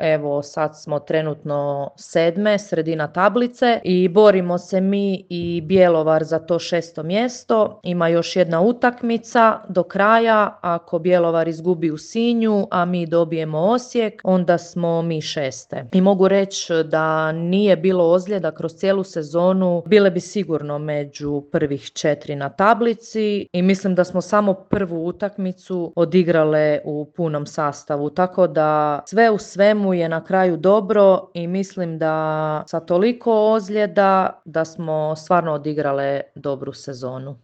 evo sad smo trenutno 7., sredina tablice i borimo se mi i Bjelovar za to 6. mjesto. Ima još jedna utakmica do kraja, ako Bjelovar izgubi u Sinju, a mi dobijemo Osijek, onda smo mi 6. I mogu reći da nije bilo ozljeda kroz cijelu sezonu, bile bi sigurno među prvih 4 na tablici i mislim da smo samo prvu utakmicu odigrale u punom sastavu, tako da sve u svemu je na kraju dobro i mislim da sa toliko ozljeda da smo stvarno odigrale dobru sezonu.